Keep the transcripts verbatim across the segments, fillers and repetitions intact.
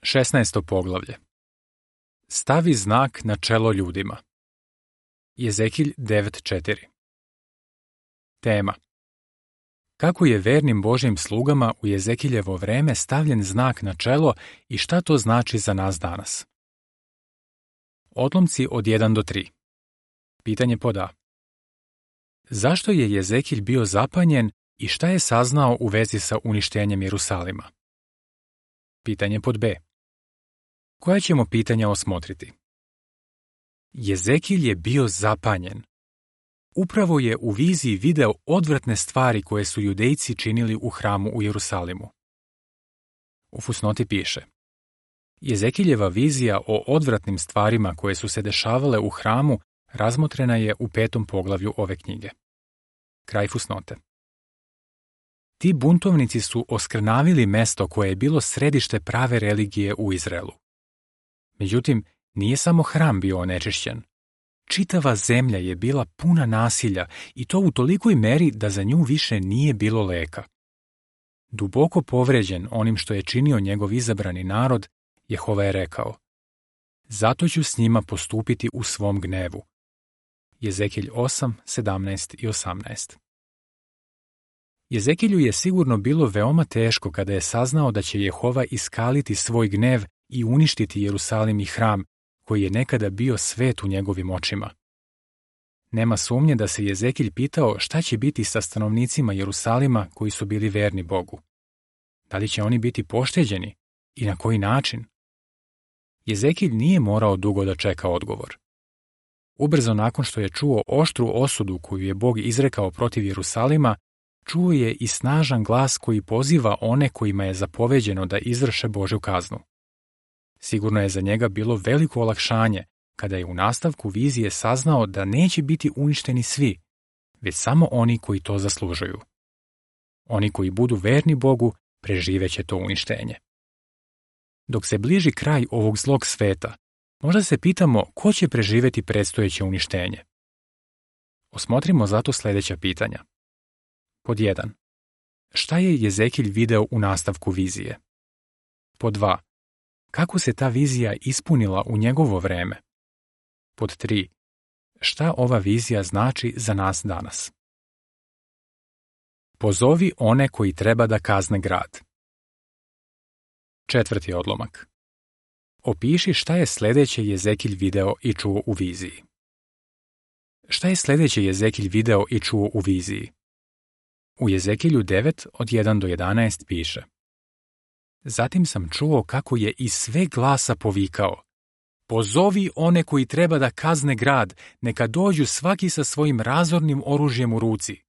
šesnaesto poglavlje. Stavi znak na čelo ljudima. Jezekilj devet četiri. Tema. Kako je vernim Božjim slugama u Jezekiljevo vreme stavljen znak na čelo i šta to znači za nas danas? Odlomci od jedan do tri. Pitanje pod A. Zašto je Jezekilj bio zapanjen i šta je saznao u vezi sa uništenjem Jerusalima? Pitanje pod B. Koja ćemo pitanja osmotriti? Jezekilj je bio zapanjen. Upravo je u viziji video odvratne stvari koje su Judejci činili u hramu u Jerusalimu. U fusnoti piše: Jezekiljeva vizija o odvratnim stvarima koje su se dešavale u hramu razmotrena je u petom poglavlju ove knjige. Kraj fusnote. Ti buntovnici su oskrnavili mesto koje je bilo središte prave religije u Izraelu. Međutim, nije samo hram bio onečišćen. Čitava zemlja je bila puna nasilja i to u tolikoj meri da za nju više nije bilo leka. Duboko povređen onim što je činio njegov izabrani narod, Jehova je rekao: Zato ću s njima postupiti u svom gnevu. Jezekilj osam, sedamnaest i osamnaest. Jezekilju je sigurno bilo veoma teško kada je saznao da će Jehova iskaliti svoj gnev i uništiti Jerusalim i hram, koji je nekada bio svet u njegovim očima. Nema sumnje da se Jezekilj pitao šta će biti sa stanovnicima Jerusalima koji su bili verni Bogu. Da li će oni biti pošteđeni i na koji način? Jezekilj nije morao dugo da čeka odgovor. Ubrzo nakon što je čuo oštru osudu koju je Bog izrekao protiv Jerusalima, čuo je i snažan glas koji poziva one kojima je zapoveđeno da izvrše Božju kaznu. Sigurno je za njega bilo veliko olakšanje kada je u nastavku vizije saznao da neće biti uništeni svi, već samo oni koji to zaslužuju. Oni koji budu verni Bogu preživeće to uništenje. Dok se bliži kraj ovog zlog sveta, možda se pitamo ko će preživeti predstojeće uništenje. Osmotrimo zato sljedeća pitanja. Pod jedan. Šta je Jezekilj video u nastavku vizije? Pod dva. Kako se ta vizija ispunila u njegovo vreme? Pod tri. Šta ova vizija znači za nas danas? Pozovi one koji treba da kazne grad. Četvrti odlomak. Opiši šta je sljedeće Jezekilj video i čuo u viziji. Šta je sljedeće Jezekilj video i čuo u viziji? U Jezekilju devet od jedan do jedanaest piše: Zatim sam čuo kako je iz sve glasa povikao: Pozovi one koji treba da kazne grad, neka dođu svaki sa svojim razornim oružjem u ruci.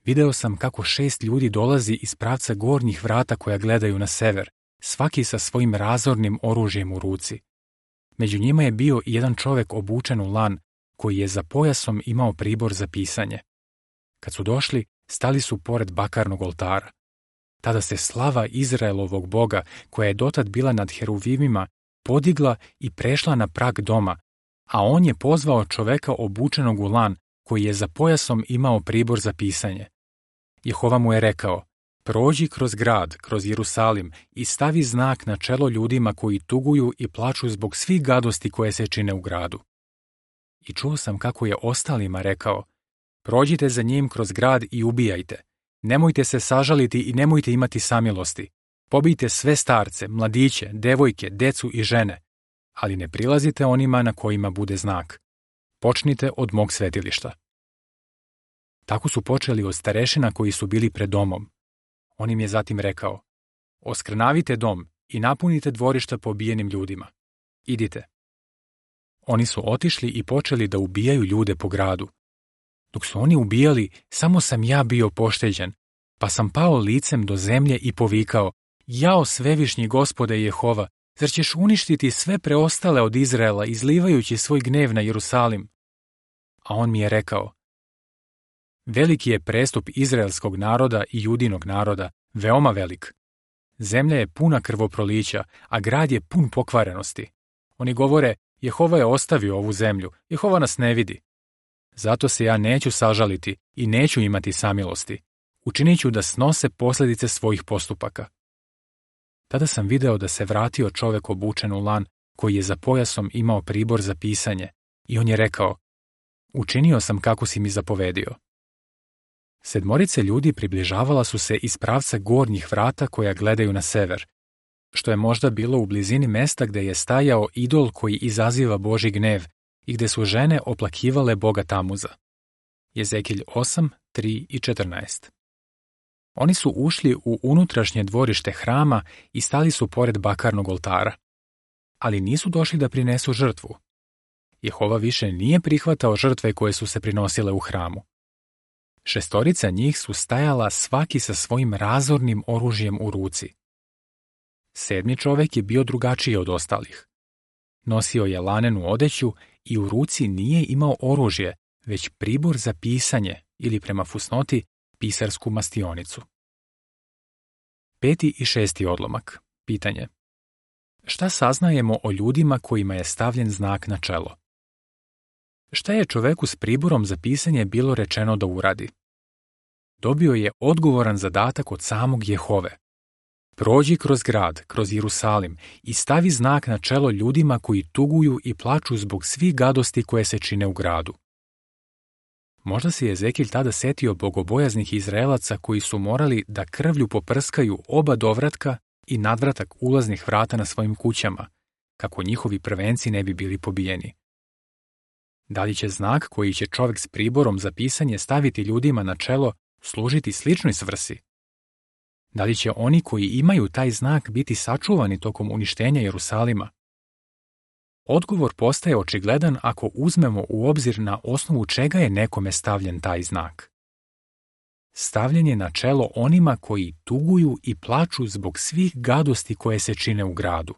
Video sam kako šest ljudi dolazi iz pravca gornjih vrata koja gledaju na sever, svaki sa svojim razornim oružjem u ruci. Među njima je bio i jedan čovjek obučen u lan, koji je za pojasom imao pribor za pisanje. Kad su došli, stali su pored bakarnog oltara. Tada se slava Izraelovog Boga, koja je dotad bila nad heruvimima, podigla i prešla na prag doma, a on je pozvao čoveka obučenog u lan, koji je za pojasom imao pribor za pisanje. Jehova mu je rekao: Prođi kroz grad, kroz Jerusalim i stavi znak na čelo ljudima koji tuguju i plaču zbog svih gadosti koje se čine u gradu. I čuo sam kako je ostalima rekao: Prođite za njim kroz grad i ubijajte. Nemojte se sažaliti i nemojte imati samilosti. Pobijte sve starce, mladiće, devojke, decu i žene, ali ne prilazite onima na kojima bude znak. Počnite od mog svetilišta. Tako su počeli od starešina koji su bili pred domom. On im je zatim rekao: Oskrnavite dom i napunite dvorišta pobijenim ljudima. Idite. Oni su otišli i počeli da ubijaju ljude po gradu. Dok su oni ubijali, samo sam ja bio pošteđen, pa sam pao licem do zemlje i povikao: Jao svevišnji Gospode Jehova, zar ćeš uništiti sve preostale od Izraela izlivajući svoj gnev na Jerusalim? A on mi je rekao: Veliki je prestup izraelskog naroda i judinog naroda, veoma velik. Zemlja je puna krvoprolića, a grad je pun pokvarenosti. Oni govore: Jehova je ostavio ovu zemlju, Jehova nas ne vidi. Zato se ja neću sažaliti i neću imati samilosti. Učinit ću da snose posljedice svojih postupaka. Tada sam video da se vratio čovek obučen u lan koji je za pojasom imao pribor za pisanje i on je rekao: učinio sam kako si mi zapovedio. Sedmorice ljudi približavala su se iz pravca gornjih vrata koja gledaju na sever, što je možda bilo u blizini mesta gde je stajao idol koji izaziva Božji gnev i gde su žene oplakivale Boga Tamuza. Jezekilj osam, tri i četrnaest. Oni su ušli u unutrašnje dvorište hrama i stali su pored bakarnog oltara, ali nisu došli da prinesu žrtvu. Jehova više nije prihvatao žrtve koje su se prinosile u hramu. Šestorica njih su stajala svaki sa svojim razornim oružjem u ruci. Sedmi čovek je bio drugačiji od ostalih. Nosio je lanenu odeću i u ruci nije imao oružje, već pribor za pisanje ili prema fusnoti pisarsku mastionicu. Peti i šesti odlomak. Pitanje. Šta saznajemo o ljudima kojima je stavljen znak na čelo? Šta je čoveku s priborom za pisanje bilo rečeno da uradi? Dobio je odgovoran zadatak od samog Jehove. Prođi kroz grad, kroz Jerusalim i stavi znak na čelo ljudima koji tuguju i plaču zbog svih gadosti koje se čine u gradu. Možda se Jezekilj tada setio bogobojaznih Izraelaca koji su morali da krvlju poprskaju oba dovratka i nadvratak ulaznih vrata na svojim kućama, kako njihovi prvenci ne bi bili pobijeni. Da li će znak koji će čovjek s priborom za pisanje staviti ljudima na čelo služiti sličnoj svrsi? Da li će oni koji imaju taj znak biti sačuvani tokom uništenja Jerusalima? Odgovor postaje očigledan ako uzmemo u obzir na osnovu čega je nekome stavljen taj znak. Stavljen je na čelo onima koji tuguju i plaču zbog svih gadosti koje se čine u gradu.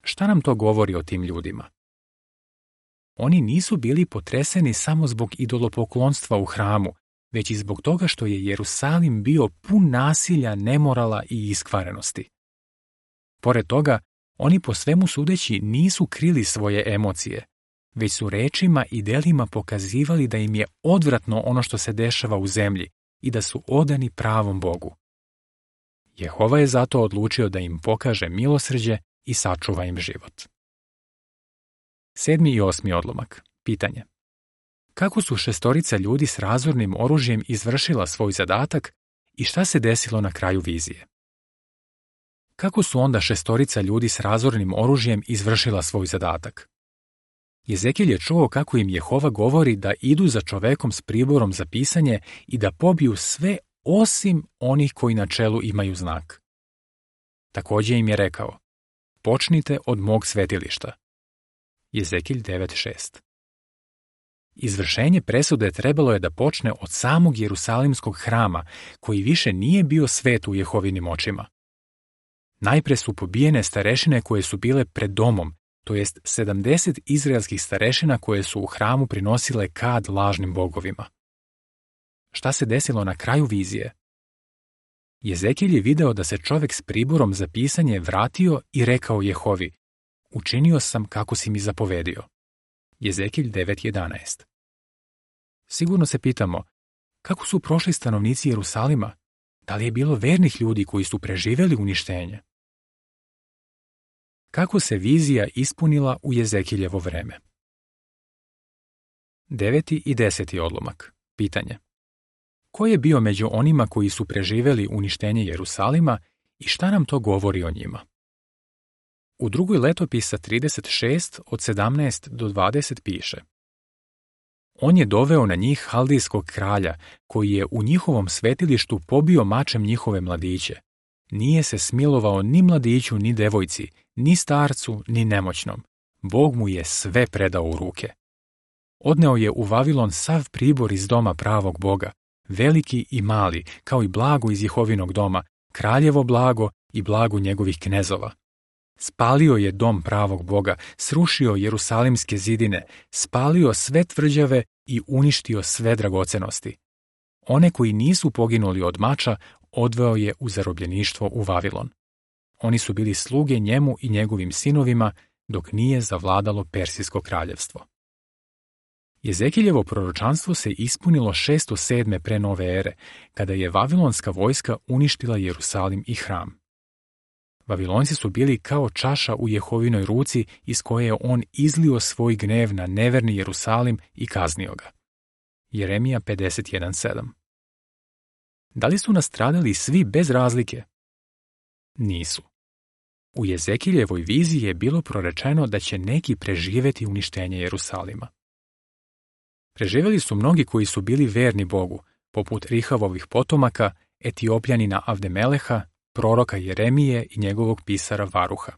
Šta nam to govori o tim ljudima? Oni nisu bili potreseni samo zbog idolopoklonstva u hramu, već i zbog toga što je Jerusalim bio pun nasilja, nemorala i iskvarenosti. Pored toga, oni po svemu sudeći nisu krili svoje emocije, već su rečima i delima pokazivali da im je odvratno ono što se dešava u zemlji i da su odani pravom Bogu. Jehova je zato odlučio da im pokaže milosrđe i sačuva im život. Sedmi i osmi odlomak. Pitanje. Kako su šestorica ljudi s razornim oružjem izvršila svoj zadatak i šta se desilo na kraju vizije? Kako su onda šestorica ljudi s razornim oružjem izvršila svoj zadatak? Jezekilj je čuo kako im Jehova govori da idu za čovekom s priborom za pisanje i da pobiju sve osim onih koji na čelu imaju znak. Također im je rekao: počnite od mog svetilišta. Jezekilj devet šest. Izvršenje presude trebalo je da počne od samog Jerusalimskog hrama, koji više nije bio svet u Jehovinim očima. Najpre su pobijene starešine koje su bile pred domom, to jest sedamdeset izraelskih starešina koje su u hramu prinosile kad lažnim bogovima. Šta se desilo na kraju vizije? Jezekilj je video da se čovek s priborom za pisanje vratio i rekao Jehovi: učinio sam kako si mi zapovedio. Jezekilj devet jedanaest. Sigurno se pitamo, kako su prošli stanovnici Jerusalima? Da li je bilo vernih ljudi koji su preživjeli uništenje? Kako se vizija ispunila u Jezekiljevo vreme? Deveti i deseti odlomak. Pitanje. Ko je bio među onima koji su preživjeli uništenje Jerusalima i šta nam to govori o njima? U drugoj letopisa trideset šest od sedamnaest do dvadeset piše: on je doveo na njih haldijskog kralja, koji je u njihovom svetilištu pobio mačem njihove mladiće. Nije se smilovao ni mladiću, ni devojci, ni starcu, ni nemoćnom. Bog mu je sve predao u ruke. Odneo je u Vavilon sav pribor iz doma pravog Boga, veliki i mali, kao i blago iz Jehovinog doma, kraljevo blago i blago njegovih knezova. Spalio je dom pravog Boga, srušio jerusalimske zidine, spalio sve tvrđave i uništio sve dragocenosti. One koji nisu poginuli od mača odveo je u zarobljeništvo u Vavilon. Oni su bili sluge njemu i njegovim sinovima dok nije zavladalo Persijsko kraljevstvo. Jezekiljevo proročanstvo se ispunilo šesto sedme pre nove ere, kada je vavilonska vojska uništila Jerusalim i hram. Vavilonci su bili kao čaša u Jehovinoj ruci iz koje je on izlio svoj gnev na neverni Jerusalim i kaznio ga. Jeremija pedeset jedan sedam. Da li su nastradali svi bez razlike? Nisu. U Jezekiljevoj viziji je bilo prorečeno da će neki preživjeti uništenje Jerusalima. Preživjeli su mnogi koji su bili verni Bogu, poput Rihavovih potomaka, Etiopljanina Avdemeleha, proroka Jeremije i njegovog pisara Varuha.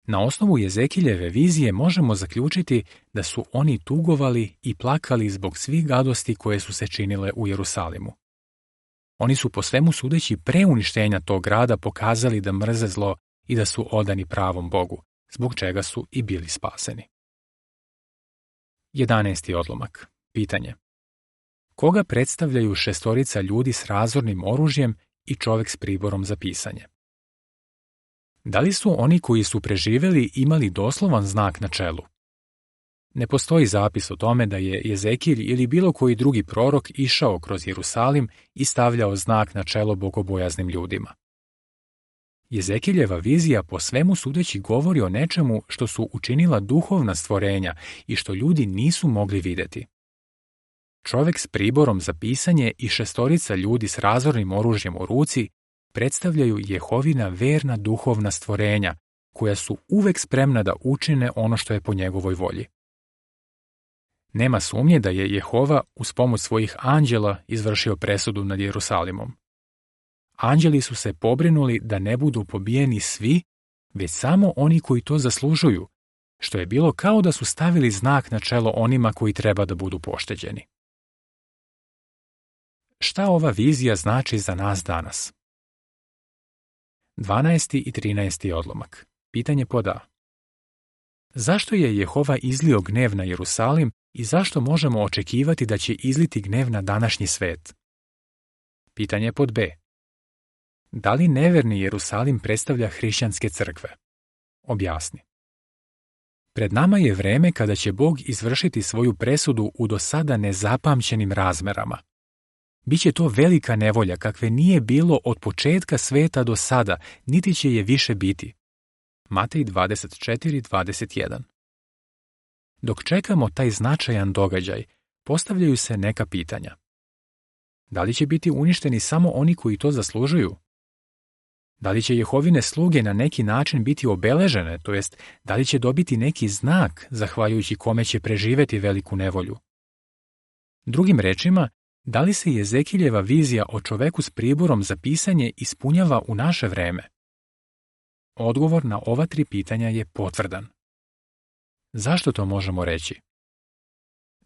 Na osnovu Jezekiljeve vizije možemo zaključiti da su oni tugovali i plakali zbog svih gadosti koje su se činile u Jerusalimu. Oni su po svemu sudeći pre uništenja tog grada pokazali da mrze zlo i da su odani pravom Bogu, zbog čega su i bili spaseni. Jedanaesti odlomak. Pitanje. Koga predstavljaju šestorica ljudi s razornim oružjem i čovjek s priborom za pisanje? Da li su oni koji su preživjeli imali doslovan znak na čelu? Ne postoji zapis o tome da je Jezekilj ili bilo koji drugi prorok išao kroz Jerusalim i stavljao znak na čelo bogobojaznim ljudima. Jezekiljeva vizija po svemu sudeći govori o nečemu što su učinila duhovna stvorenja i što ljudi nisu mogli vidjeti. Čovjek s priborom za pisanje i šestorica ljudi s razornim oružjem u ruci predstavljaju Jehovina verna duhovna stvorenja, koja su uvek spremna da učine ono što je po njegovoj volji. Nema sumnje da je Jehova uz pomoć svojih anđela izvršio presudu nad Jerusalimom. Anđeli su se pobrinuli da ne budu pobijeni svi, već samo oni koji to zaslužuju, što je bilo kao da su stavili znak na čelo onima koji treba da budu pošteđeni. Šta ova vizija znači za nas danas? dvanaesti i trinaesti odlomak. Pitanje pod A. Zašto je Jehova izlio gnev na Jerusalim i zašto možemo očekivati da će izliti gnev na današnji svet? Pitanje pod B. Da li neverni Jerusalim predstavlja hrišćanske crkve? Objasni. Pred nama je vreme kada će Bog izvršiti svoju presudu u do sada nezapamćenim razmerama. Biće to velika nevolja kakve nije bilo od početka sveta do sada, niti će je više biti. Matej dvadeset četiri dvadeset jedan. Dok čekamo taj značajan događaj, postavljaju se neka pitanja. Da li će biti uništeni samo oni koji to zaslužuju? Da li će Jehovine sluge na neki način biti obeležene, to jest da li će dobiti neki znak zahvaljujući kome će preživeti veliku nevolju? Drugim rečima, da li se Jezekiljeva vizija o čoveku s priborom za pisanje ispunjava u naše vreme? Odgovor na ova tri pitanja je potvrdan. Zašto to možemo reći?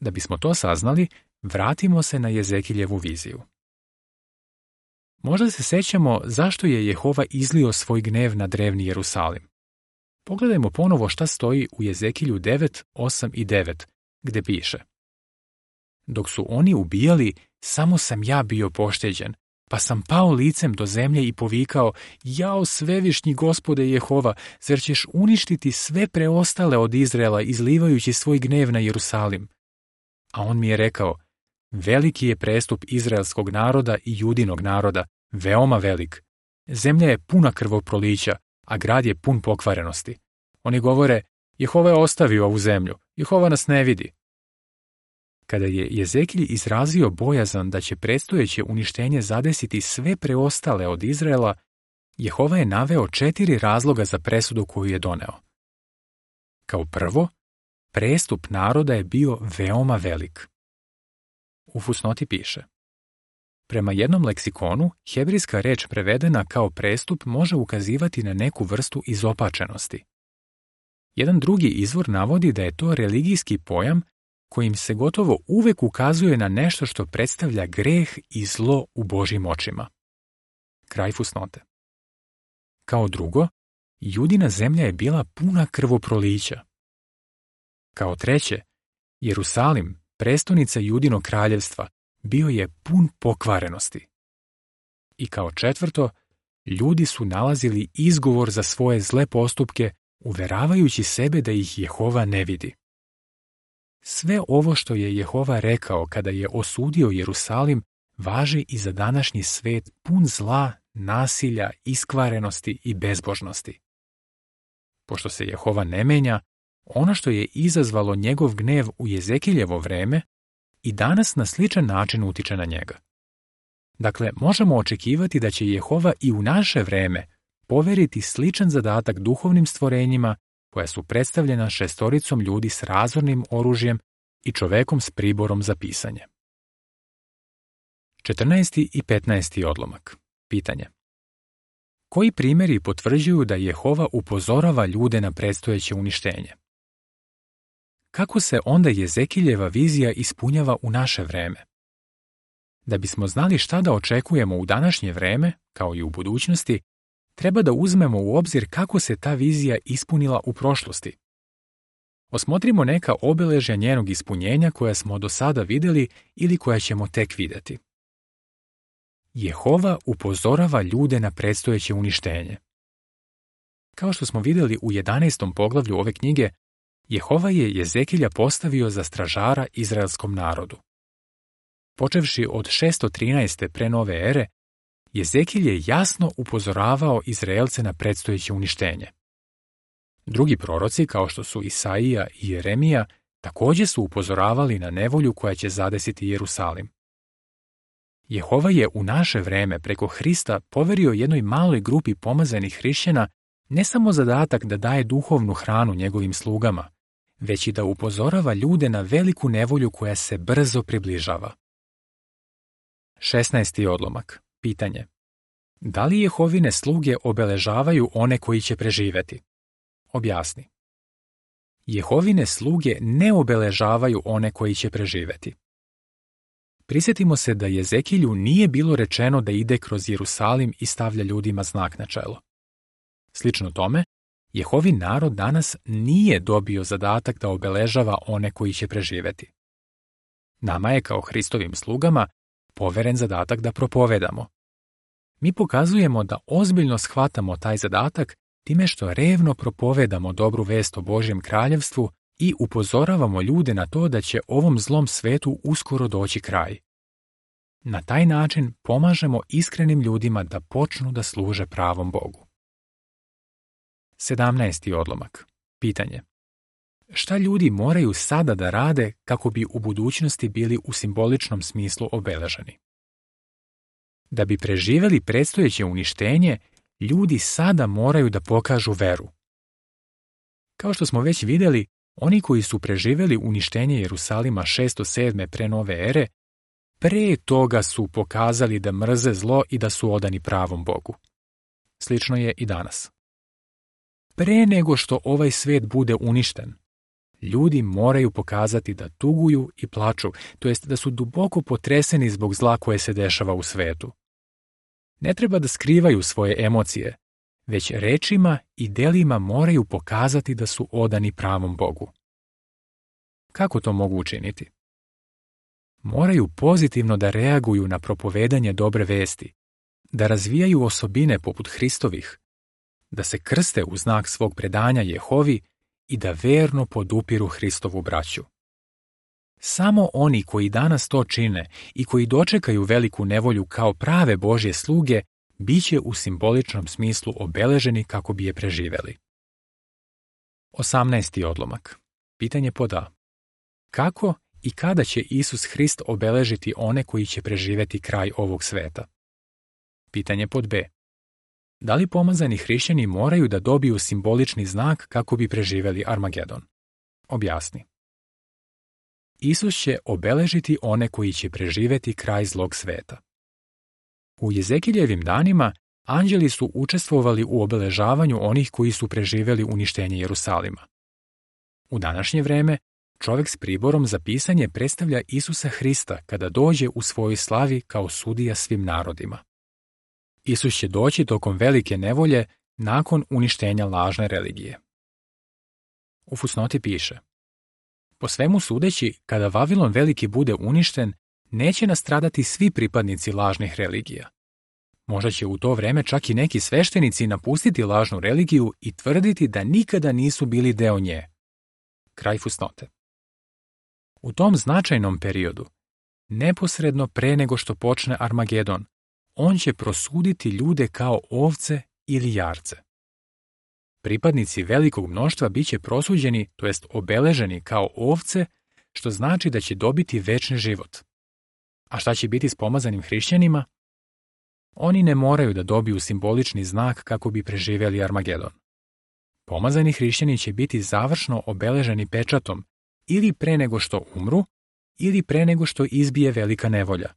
Da bismo to saznali, vratimo se na Jezekiljevu viziju. Možda se sećamo zašto je Jehova izlio svoj gnev na drevni Jerusalim. Pogledajmo ponovo šta stoji u Jezekilju devet, osam i devet, gde piše: Dok su oni ubijali, samo sam ja bio pošteđen, pa sam pao licem do zemlje i povikao: Jao svevišnji Gospode Jehova, zar ćeš uništiti sve preostale od Izraela izlivajući svoj gnev na Jerusalim? A on mi je rekao: Veliki je prestup izraelskog naroda i judinog naroda, veoma velik. Zemlja je puna krvoprolića, a grad je pun pokvarenosti. Oni govore: Jehova je ostavio ovu zemlju, Jehova nas ne vidi. Kada je Jezekilj izrazio bojazan da će predstojeće uništenje zadesiti sve preostale od Izraela, Jehova je naveo četiri razloga za presudu koju je doneo. Kao prvo, prestup naroda je bio veoma velik. U fusnoti piše: Prema jednom leksikonu, hebrijska reč prevedena kao prestup može ukazivati na neku vrstu izopačenosti. Jedan drugi izvor navodi da je to religijski pojam kojim se gotovo uvek ukazuje na nešto što predstavlja greh i zlo u Božjim očima. Kraj fusnote. Kao drugo, judina zemlja je bila puna krvoprolića. Kao treće, Jerusalim, prestonica judinog kraljevstva, bio je pun pokvarenosti. I kao četvrto, ljudi su nalazili izgovor za svoje zle postupke, uveravajući sebe da ih Jehova ne vidi. Sve ovo što je Jehova rekao kada je osudio Jerusalim, važi i za današnji svet pun zla, nasilja, iskvarenosti i bezbožnosti. Pošto se Jehova ne menja, ono što je izazvalo njegov gnev u Jezekiljevo vreme i danas na sličan način utiče na njega. Dakle, možemo očekivati da će Jehova i u naše vreme poveriti sličan zadatak duhovnim stvorenjima koja su predstavljena šestoricom ljudi s razornim oružjem i čovekom s priborom za pisanje. četrnaesti i petnaesti odlomak. Pitanje. Koji primjeri potvrđuju da Jehova upozorava ljude na predstojeće uništenje? Kako se onda Jezekiljeva vizija ispunjava u naše vreme? Da bismo znali šta da očekujemo u današnje vreme, kao i u budućnosti, treba da uzmemo u obzir kako se ta vizija ispunila u prošlosti. Osmotrimo neka obeležja njenog ispunjenja koja smo do sada vidjeli ili koja ćemo tek vidjeti. Jehova upozorava ljude na predstojeće uništenje. Kao što smo vidjeli u jedanaestom poglavlju ove knjige, Jehova je Jezekilja postavio za stražara izraelskom narodu. Počevši od šesto trinaeste pre nove ere, Jezekilj je jasno upozoravao Izraelce na predstojeće uništenje. Drugi proroci, kao što su Isaija i Jeremija, također su upozoravali na nevolju koja će zadesiti Jerusalim. Jehova je u naše vreme preko Hrista poverio jednoj maloj grupi pomazanih hrišćana ne samo zadatak da daje duhovnu hranu njegovim slugama, već i da upozorava ljude na veliku nevolju koja se brzo približava. šesnaesti odlomak. Pitanje. Da li Jehovine sluge obeležavaju one koji će preživjeti? Objasni. Jehovine sluge ne obeležavaju one koji će preživjeti. Prisjetimo se da Jezekilju nije bilo rečeno da ide kroz Jerusalim i stavlja ljudima znak na čelo. Slično tome, Jehovin narod danas nije dobio zadatak da obeležava one koji će preživjeti. Nama je kao Hristovim slugama poveren zadatak da propovedamo. Mi pokazujemo da ozbiljno shvatamo taj zadatak time što revno propovedamo dobru vest o Božjem kraljevstvu i upozoravamo ljude na to da će ovom zlom svetu uskoro doći kraj. Na taj način pomažemo iskrenim ljudima da počnu da služe pravom Bogu. sedamnaesti odlomak. Pitanje. Šta ljudi moraju sada da rade kako bi u budućnosti bili u simboličnom smislu obeleženi? Da bi preživjeli predstojeće uništenje, ljudi sada moraju da pokažu veru. Kao što smo već vidjeli, oni koji su preživjeli uništenje Jerusalima šesto sedme pre nove ere, pre toga su pokazali da mrze zlo i da su odani pravom Bogu. Slično je i danas. Pre nego što ovaj svet bude uništen, ljudi moraju pokazati da tuguju i plaču, to jest da su duboko potreseni zbog zla koje se dešava u svetu. Ne treba da skrivaju svoje emocije, već rečima i delima moraju pokazati da su odani pravom Bogu. Kako to mogu učiniti? Moraju pozitivno da reaguju na propovedanje dobre vesti, da razvijaju osobine poput Hristovih, da se krste u znak svog predanja Jehovi i da verno podupiru Hristovu braću. Samo oni koji danas to čine i koji dočekaju veliku nevolju kao prave Božje sluge, bit će u simboličnom smislu obeleženi kako bi je preživeli. osamnaesti odlomak. Pitanje pod A. Kako i kada će Isus Hrist obeležiti one koji će preživjeti kraj ovog sveta? Pitanje pod B. Da li pomazani hrišćani moraju da dobiju simbolični znak kako bi preživjeli Armagedon? Objasni. Isus će obeležiti one koji će preživjeti kraj zlog sveta. U Jezekiljevim danima anđeli su učestvovali u obeležavanju onih koji su preživjeli uništenje Jerusalima. U današnje vreme čovjek s priborom za pisanje predstavlja Isusa Hrista kada dođe u svojoj slavi kao sudija svim narodima. Isus će doći tokom velike nevolje nakon uništenja lažne religije. U fusnoti piše: po svemu sudeći, kada Vavilon veliki bude uništen, neće nastradati svi pripadnici lažnih religija. Možda će u to vreme čak i neki sveštenici napustiti lažnu religiju i tvrditi da nikada nisu bili deo nje. Kraj fusnote. U tom značajnom periodu, neposredno pre nego što počne Armagedon, on će prosuditi ljude kao ovce ili jarce. Pripadnici velikog mnoštva bit će prosuđeni, to jest obeleženi kao ovce, što znači da će dobiti večni život. A šta će biti s pomazanim hrišćanima? Oni ne moraju da dobiju simbolični znak kako bi preživjeli Armagedon. Pomazani hrišćani će biti završno obeleženi pečatom ili pre nego što umru, ili pre nego što izbije velika nevolja.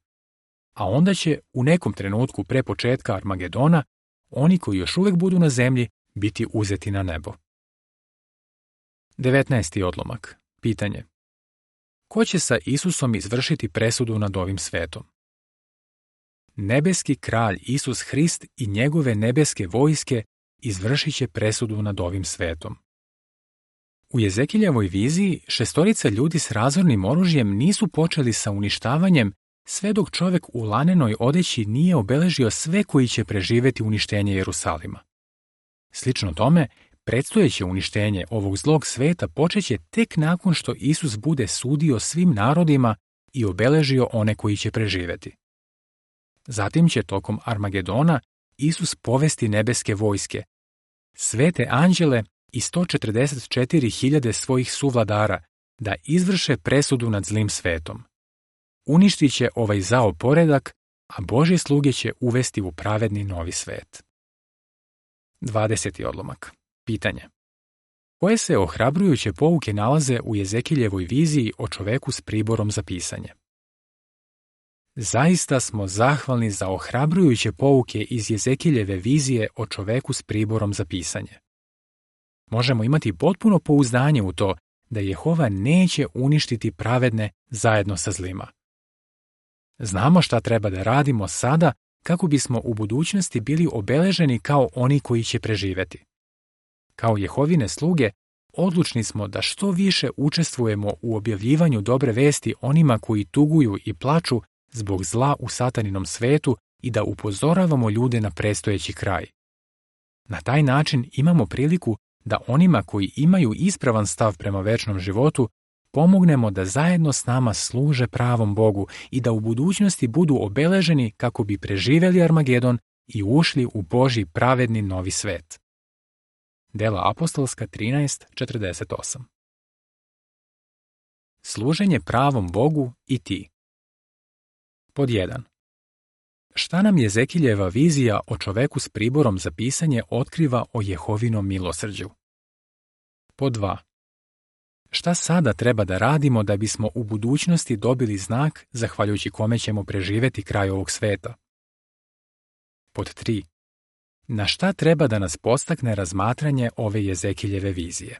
A onda će u nekom trenutku pre početka Armagedona oni koji još uvijek budu na zemlji biti uzeti na nebo. devetnaesti odlomak. Pitanje. Ko će sa Isusom izvršiti presudu nad ovim svetom? Nebeski kralj Isus Hrist i njegove nebeske vojske izvršit će presudu nad ovim svetom. U Jezekiljevoj viziji šestorica ljudi s razornim oružjem nisu počeli sa uništavanjem sve dok čovjek u lanenoj odeći nije obeležio sve koji će preživjeti uništenje Jerusalima. Slično tome, predstojeće uništenje ovog zlog sveta počeće tek nakon što Isus bude sudio svim narodima i obeležio one koji će preživjeti. Zatim će tokom Armagedona Isus povesti nebeske vojske, svete anđele i sto četrdeset četiri hiljade svojih suvladara da izvrše presudu nad zlim svetom. Uništit će ovaj zao poredak, a Božje sluge će uvesti u pravedni novi svet. dvadeseti odlomak. Pitanje. Koje se ohrabrujuće pouke nalaze u Jezekiljevoj viziji o čoveku s priborom za pisanje? Zaista smo zahvalni za ohrabrujuće pouke iz Jezekiljeve vizije o čoveku s priborom za pisanje. Možemo imati potpuno pouzdanje u to da Jehova neće uništiti pravedne zajedno sa zlima. Znamo šta treba da radimo sada kako bismo u budućnosti bili obeleženi kao oni koji će preživjeti. Kao Jehovine sluge, odlučni smo da što više učestvujemo u objavljivanju dobre vesti onima koji tuguju i plaču zbog zla u sataninom svetu i da upozoravamo ljude na predstojeći kraj. Na taj način imamo priliku da onima koji imaju ispravan stav prema večnom životu pomognemo da zajedno s nama služe pravom Bogu i da u budućnosti budu obeleženi kako bi preživjeli Armagedon i ušli u Božji pravedni novi svet. Dela apostolska trinaest četrdeset osam. Služenje pravom Bogu i ti. Pod jedan. Šta nam Jezekiljeva vizija o čoveku s priborom za pisanje otkriva o Jehovinom milosrđu? Pod dva. Šta sada treba da radimo da bismo u budućnosti dobili znak zahvaljujući kome ćemo preživjeti kraj ovog sveta? Pod tri. Na šta treba da nas podstakne razmatranje ove Jezekiljeve vizije?